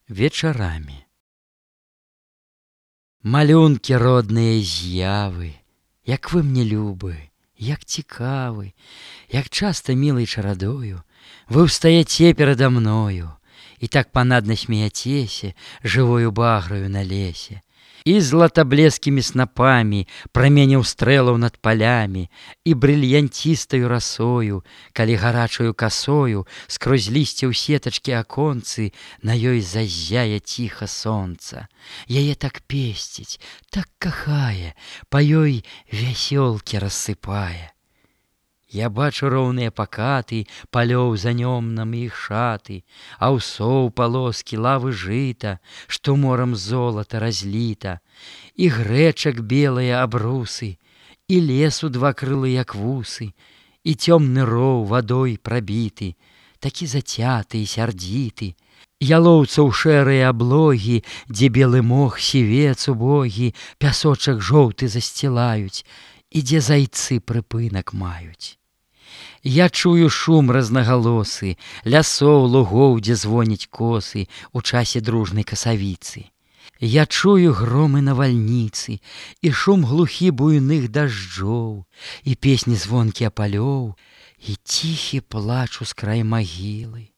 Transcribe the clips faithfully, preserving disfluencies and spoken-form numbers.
вечарамі. Малюнкі родныя з'явы, як вы мне любы, як цікавы, як часта мілай чарадою вы ўстаяце перада мною, і так панадна смеяцеся жывою баграю на лесе, і златаблескімі снапамі праменяў стрэлаў над палямі, і брыльянцістаю расою, калі гарачаю касою скрозь лісце ў сетачкі аконцы на ёй заззяе ціха сонца. Яе так песціць, так кахае, па ёй вясёлкі рассыпае. Я бачу роўныя пакаты палёў за нёмнам іх шаты, аўсоў палоскі, лавы жыта, што морам золата разліта, і грэчак белыя абрусы, і лесу два крылы, як вусы, і цёмны роў вадой прабіты, такі зацяты і сярдзіты, ялоўцаў шэрыя аблогі, дзе белы мох, сівец убогі, пясочак жоўты засцілаюць, і дзе зайцы прыпынак маюць. Я чую шум рознагалосы, лясоў, лугоў, дзе звоняць косы у часе дружнай касавіцы. Я чую громы навальніцы, і шум глухі буйных дажджоў, і песні звонкія палёў, і ціхі плач ускрай магілы.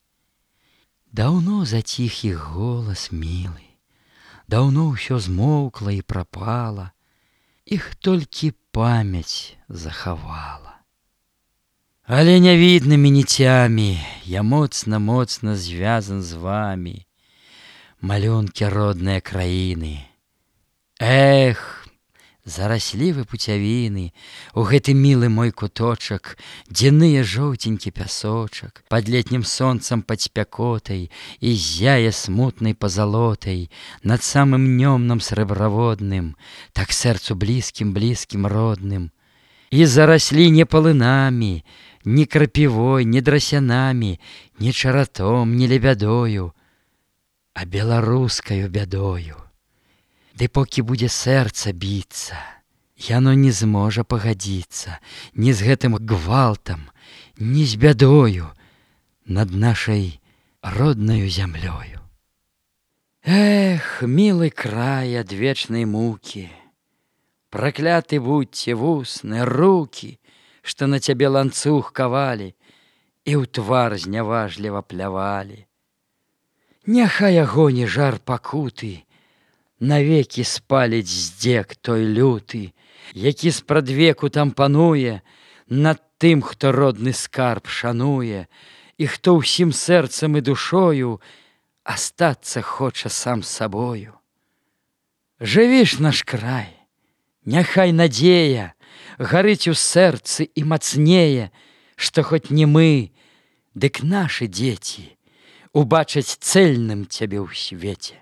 Даўно заціх іх голас мілы, даўно ўсё змоўкла і прапала, іх толькі памяць захавала. Але нявіднымі ніцямі я моцна-моцна звязан з вамі, малюнкі родныя краіны. Эх, зараслі вы пуцявіны у гэты мілы мой куточак, дзе ные жоўценькі пясочак, пад летнім сонцам пад спякотай і зяе смутнай пазалотай над самым нёмным срэбраводным, так сэрцу блізкім-блізкім родным. І зараслі не палынамі, ні крапівой, ні драсянамі, ні чаратом, ні лебядою, а беларускаю бядою. Ды покі будзе сэрца біцца, яно не зможа пагадзіцца ні з гэтым гвалтам, ні з бядою над нашай роднаю зямлёю. Эх, мілы край ад вечнай мукі, пракляты будьце вусны, рукі, што на цябе ланцуг кавалі і ў твар зняважліва плявалі. Няхай агоні жар пакуты навекі спаліць здзек той люты, які спрадвеку там пануе над тым, хто родны скарб шануе, і хто ўсім сэрцам і душою астацца хоча сам сабою. Жыві ж наш край, няхай надзея гарыць у сэрцы і мацнее, што хоць не мы, дык нашы дзеці убачаць цэльным цябе ў свеце.